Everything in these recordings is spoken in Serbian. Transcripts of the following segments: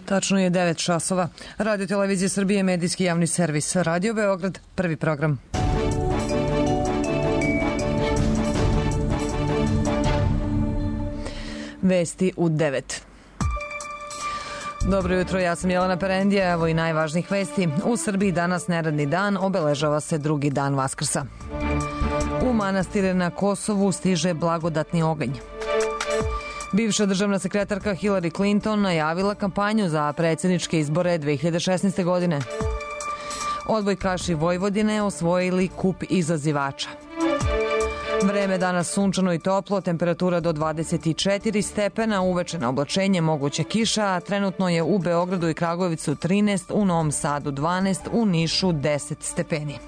Tačno je 9 časova. Radio Televizija Srbije, medijski javni servis. Radio Beograd, prvi program. Vesti u 9. Dobro jutro, ja sam Jelena Perendija, evo i najvažnijih vesti. U Srbiji danas neradni dan, obeležava se drugi dan Vaskrsa. U manastire na Kosovu stiže blagodatni oganj. Bivša državna sekretarka Hillary Clinton najavila kampanju za predsjedničke izbore 2016. godine. Odbojkaši Vojvodine osvojili kup izazivača. Vreme danas sunčano i toplo, temperatura do 24 stepena, uveče na oblačenje, moguće kiša, a trenutno je u Beogradu i Kragujevcu 13, u Novom Sadu 12, u Nišu 10 stepeni.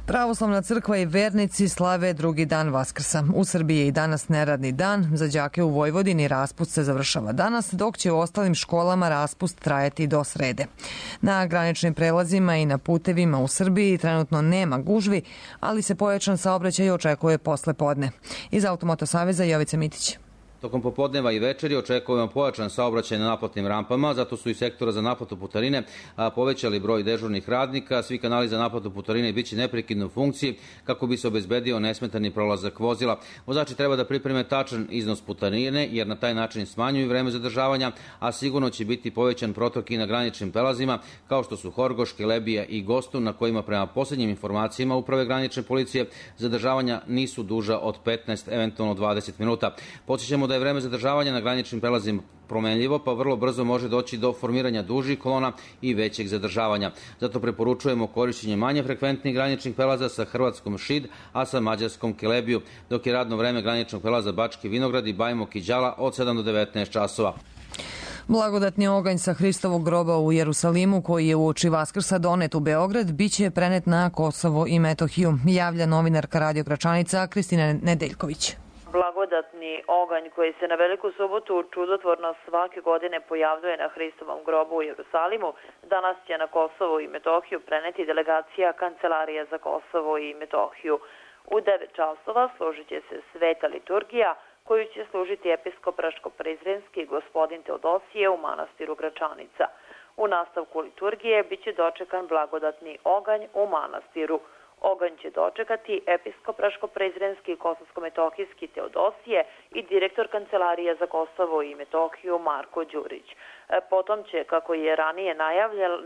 Pravoslavna crkva i vernici slave drugi dan Vaskrsa. U Srbiji je i danas neradni dan. Za đake u Vojvodini raspust se završava danas, dok će u ostalim školama raspust trajati do srede. Na graničnim prelazima i na putevima u Srbiji trenutno nema gužvi, ali se pojačan saobraćaj očekuje posle podne. Iz Automoto Saveza Jovica Mitić. Tokom popodneva i večeri očekujemo pojačan saobraćaj na naplatnim rampama, zato su i sektora za naplatu putarine povećali broj dežurnih radnika. Svi kanali za naplatu putarine biće neprekidno u funkciji kako bi se obezbedio nesmetani prolazak vozila. Vozači treba da pripreme tačan iznos putarine jer na taj način smanjuju vreme zadržavanja, a sigurno će biti povećan protok i na graničnim prelazima kao što su Horgoš, Kelebija i Gostu, na kojima prema posljednjim informacijama Uprave granične policije zadržavanja nisu duža od 15, eventualno 20 minuta. Podsjećamo da je vreme zadržavanja na graničnim prelazima promenljivo, pa vrlo brzo može doći do formiranja dužih kolona i većeg zadržavanja. Zato preporučujemo korišćenje manje frekventnih graničnih prelaza sa Hrvatskom Šid, a sa Mađarskom Kelebiju, dok je radno vreme graničnog prelaza Bački Vinograd i Bajmok i Đala od 7 do 19 časova. Blagodatni oganj sa Hristovog groba u Jerusalimu, koji je uoči Vaskrsa donet u Beograd, biće prenet na Kosovo i Metohiju, javlja novinarka Radio Gračanica Kristina Nedeljković. Blagodatni oganj koji se na Veliku subotu čudotvorno svake godine pojavljuje na Hristovom grobu u Jerusalimu, danas će na Kosovo i Metohiju preneti delegacija Kancelarije za Kosovo i Metohiju. U 9 časova složit će se sveta liturgija koju će služiti episkop Raško-Prizrenski gospodin Teodosije u manastiru Gračanica. U nastavku liturgije biće dočekan blagodatni oganj u manastiru. Oganj će dočekati episkop Raško-Prizrenski i Kosovsko-Metohijski Teodosije i direktor Kancelarije za Kosovo i Metohiju Marko Đurić. Potom će, kako je ranije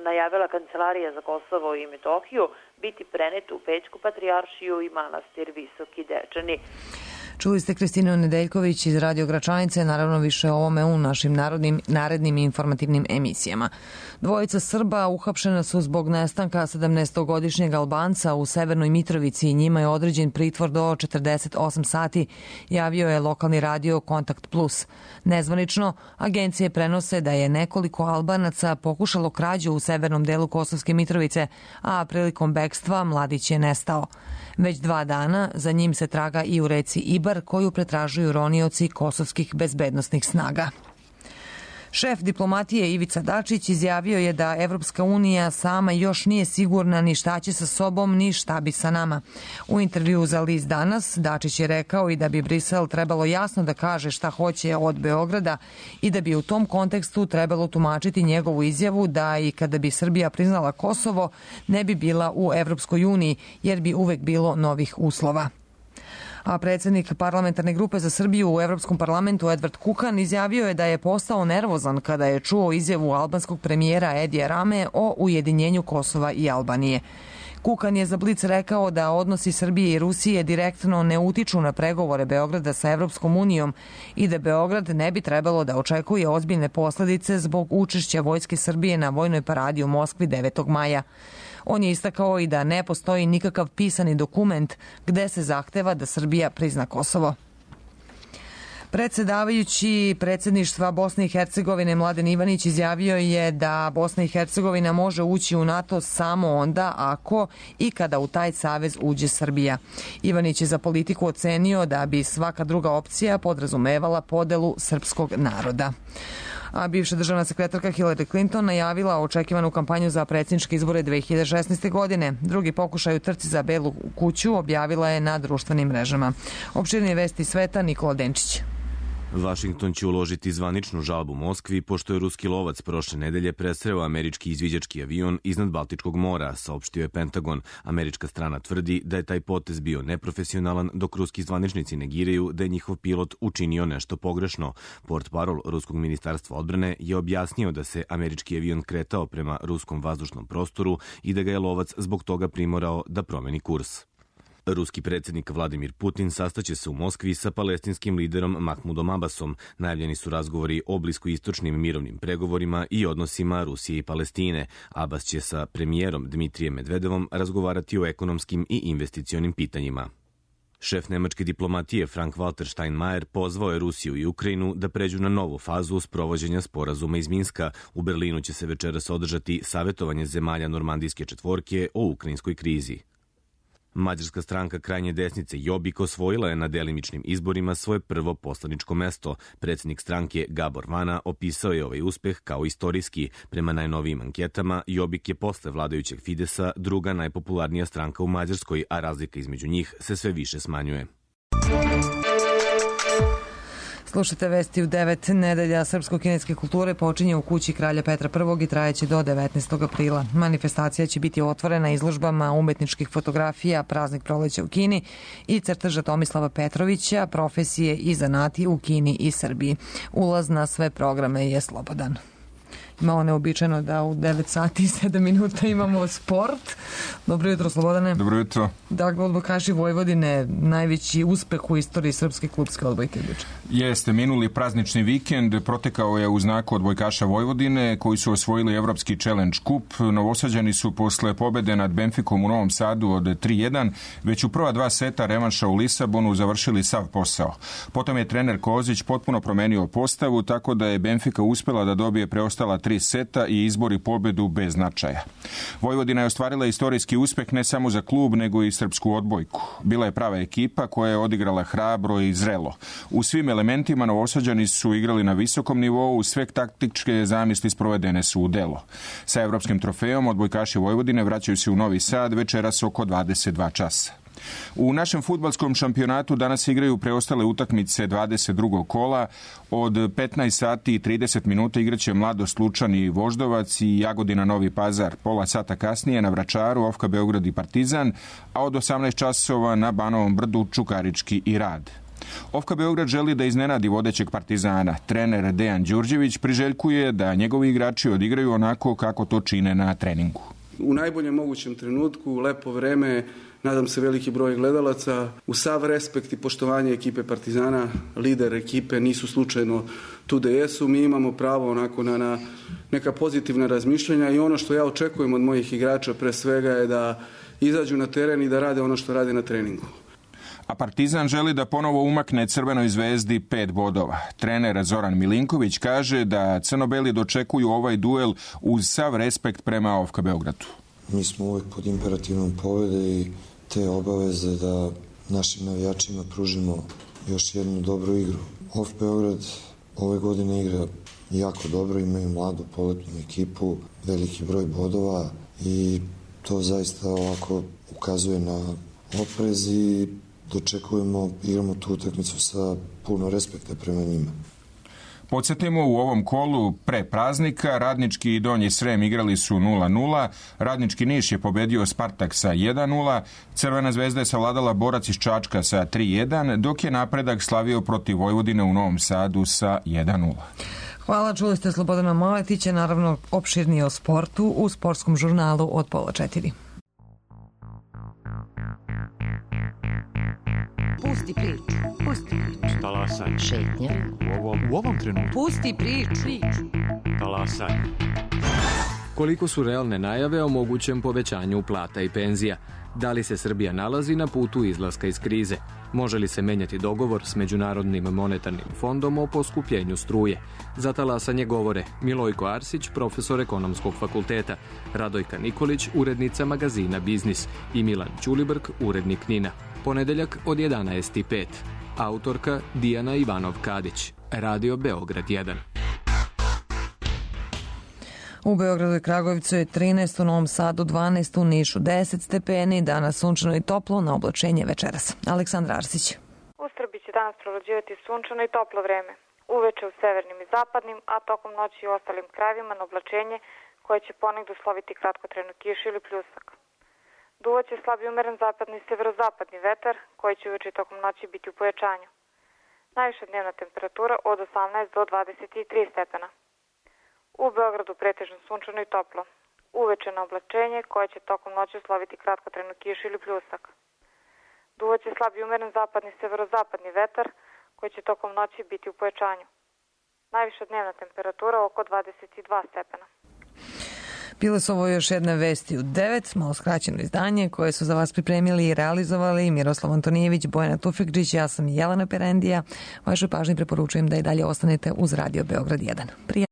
najavila Kancelarija za Kosovo i Metohiju, biti prenet u Pećku patrijaršiju i manastir Visoki Dečani. Čuli ste Kristinu Nedeljković iz Radio Gračanice, naravno više o ovome u našim narednim informativnim emisijama. Dvojica Srba uhapšena su zbog nestanka 17-godišnjeg Albanca u Severnoj Mitrovici i njima je određen pritvor do 48 sati, javio je lokalni radio Kontakt Plus. Nezvanično, agencije prenose da je nekoliko Albanaca pokušalo krađu u severnom delu Kosovske Mitrovice, a prilikom bekstva mladić je nestao. Već 2 dana za njim se traga i u reci Ibar, koju pretražuju ronioci kosovskih bezbednosnih snaga. Šef diplomatije Ivica Dačić izjavio je da Evropska unija sama još nije sigurna ni šta će sa sobom, ni šta bi sa nama. U intervju za list Danas Dačić je rekao i da bi Brisel trebalo jasno da kaže šta hoće od Beograda i da bi u tom kontekstu trebalo tumačiti njegovu izjavu da i kada bi Srbija priznala Kosovo ne bi bila u Evropskoj uniji jer bi uvek bilo novih uslova. A predsjednik parlamentarne grupe za Srbiju u Evropskom parlamentu Edward Kukan izjavio je da je postao nervozan kada je čuo izjavu albanskog premijera Edija Rame o ujedinjenju Kosova i Albanije. Kukan je za Blic rekao da odnosi Srbije i Rusije direktno ne utiču na pregovore Beograda sa Evropskom unijom i da Beograd ne bi trebalo da očekuje ozbiljne posledice zbog učešća Vojske Srbije na vojnoj paradi u Moskvi 9. maja. On je istakao i da ne postoji nikakav pisani dokument gde se zahteva da Srbija prizna Kosovo. Predsedavajući predsjedništva Bosne i Hercegovine Mladen Ivanić izjavio je da Bosna i Hercegovina može ući u NATO samo onda ako i kada u taj savez uđe Srbija. Ivanić je za politiku ocenio da bi svaka druga opcija podrazumevala podelu srpskog naroda. A bivša državna sekretarka Hillary Clinton najavila očekivanu kampanju za predsjedničke izbore 2016. godine. Drugi pokušaj u trci za Belu kuću objavila je na društvenim mrežama. Opširnije vesti sveta Nikola Denčić. Vašington će uložiti zvaničnu žalbu Moskvi pošto je ruski lovac prošle nedelje presreo američki izviđački avion iznad Baltičkog mora, saopštio je Pentagon. Američka strana tvrdi da je taj potez bio neprofesionalan, dok ruski zvaničnici negiraju da je njihov pilot učinio nešto pogrešno. Portparol ruskog ministarstva odbrane je objasnio da se američki avion kretao prema ruskom vazdušnom prostoru i da ga je lovac zbog toga primorao da promeni kurs. Ruski predsjednik Vladimir Putin sastaće se u Moskvi sa palestinskim liderom Mahmudom Abbasom. Najavljeni su razgovori o bliskoistočnim mirovnim pregovorima i odnosima Rusije i Palestine. Abbas će sa premijerom Dmitrijem Medvedevom razgovarati o ekonomskim i investicionim pitanjima. Šef nemačke diplomatije Frank-Walter Steinmeier pozvao je Rusiju i Ukrajinu da pređu na novu fazu sprovođenja sporazuma iz Minska. U Berlinu će se večeras održati savjetovanje zemalja Normandijske četvorke o ukrajinskoj krizi. Mađarska stranka krajnje desnice Jobbik osvojila je na delimičnim izborima svoje prvo poslaničko mesto. Predsjednik stranke Gabor Vana opisao je ovaj uspeh kao istorijski. Prema najnovijim anketama, Jobbik je posle vladajućeg Fidesa druga najpopularnija stranka u Mađarskoj, a razlika između njih se sve više smanjuje. Slušajte vesti u 9. Nedelja srpsko-kineske kulture počinje u kući kralja Petra I i trajeće do 19. aprila. Manifestacija će biti otvorena izložbama umetničkih fotografija, praznik proleća u Kini i crteža Tomislava Petrovića, profesije i zanati u Kini i Srbiji. Ulaz na sve programe je slobodan. Malo neobičajno da u 9 sati i 7 minuta imamo sport. Dobro jutro, Slobodane. Dobro jutro. Dakle, odbojkaši Vojvodine, najveći uspeh u istoriji srpske klubske odbojke. Jeste, minuli praznični vikend protekao je u znaku odbojkaša Vojvodine koji su osvojili Evropski Challenge Cup. Novosađani su posle pobede nad Benficom u Novom Sadu od 3-1 već u prva 2 seta revanša u Lisabonu završili sav posao. Potom je trener Kozić potpuno promenio postavu tako da je Benfica uspela da dobije preostala 3 seta i izbori pobedu bez značaja. Vojvodina je ostvarila istorijski uspeh ne samo za klub, nego i srpsku odbojku. Bila je prava ekipa koja je odigrala hrabro i zrelo. U svim elementima Novosađani su igrali na visokom nivou, sve taktičke zamisli sprovedene su u delo. Sa evropskim trofejom odbojkaši Vojvodine vraćaju se u Novi Sad večeras oko 22 časa. U našem fudbalskom šampionatu danas igraju preostale utakmice 22. kola. Od 15 sati i 30 minuta igraće Mladost Lučan i Voždovac i Jagodina Novi Pazar. Pola sata kasnije na Vračaru Ofka Beograd i Partizan, a od 18 časova na Banovom Brdu Čukarički i Rad. Ofka Beograd želi da iznenadi vodećeg Partizana. Trener Dejan Đurđević priželjkuje da njegovi igrači odigraju onako kako to čine na treningu. U najboljem mogućem trenutku, lepo vreme, nadam se veliki broj gledalaca, u sav respekt i poštovanje ekipe Partizana, lider ekipe nisu slučajno tu da jesu. Mi imamo pravo onako na neka pozitivna razmišljanja i ono što ja očekujem od mojih igrača pre svega je da izađu na teren i da rade ono što rade na treningu. A Partizan želi da ponovo umakne Crvenoj zvezdi 5 bodova. Trener Zoran Milinković kaže da crno-beli dočekuju ovaj duel uz sav respekt prema Ofka Beogradu. Mi smo uvek pod imperativnom pobede i te obaveze da našim navijačima pružimo još jednu dobru igru. Ofk Beograd ove godine igra jako dobro, imaju mladu poletnu ekipu, veliki broj bodova i to zaista ovako ukazuje na oprez i igramo tu utakmicu sa puno respekta prema njima. Podsjetimo, u ovom kolu pre praznika Radnički i Donji Srem igrali su 0-0, Radnički Niš je pobedio Spartak sa 1-0, Crvena zvezda je savladala Borac iz Čačka sa 3-1, dok je Napredak slavio protiv Vojvodine u Novom Sadu sa 1-0. Hvala, čuli ste Slobodana Maletića, naravno opširnije o sportu u sportskom žurnalu od 3:30. Pusti priču. Pusti priču. Talasaj. Šetnja. U ovom trenutku. Pusti priču. Talasaj. Koliko su realne najave o mogućem povećanju plata i penzija? Da li se Srbija nalazi na putu izlaska iz krize? Može li se menjati dogovor s Međunarodnim monetarnim fondom o poskupljenju struje? Za talasanje govore Milojko Arsić, profesor ekonomskog fakulteta, Radojka Nikolić, urednica magazina Biznis i Milan Ćulibrk, urednik NIN-a. Ponedeljak od 11:05. Autorka Dijana Ivanov-Kadić. Radio Beograd 1. U Beogradu i Kragujevcu je 13, u Novom Sadu 12, u Nišu 10 stepeni, danas sunčano i toplo, na oblačenje večeras. Aleksandra Arsić. U Srbiji će danas prevlađivati sunčano i toplo vreme. Uveče u severnim i zapadnim, a tokom noći i u ostalim krajevima na oblačenje koje će ponegdje usloviti kratkotrajnu kišu ili pljusak. Duvaće slab i umeren zapadni i severozapadni vetar koji će uveče i tokom noći biti u pojačanju. Najviša dnevna temperatura od 18 do 23 stepena. U Beogradu pretežno sunčano i toplo. Uveče na oblačenje koje će tokom noći usloviti kratkotrajnu kišu ili pljusak. Duvaće slab i umeren zapadni i severozapadni vetar koji će tokom noći biti u pojačanju. Najviša dnevna temperatura oko 22 stepena. Bile su ovo još jedne vesti u 9, malo skraćeno izdanje koje su za vas pripremili i realizovali Miroslav Antonijević, Bojana Tufekđić, ja sam Jelena Perendija. Vašoj pažnji preporučujem da i dalje ostanete uz Radio Beograd 1.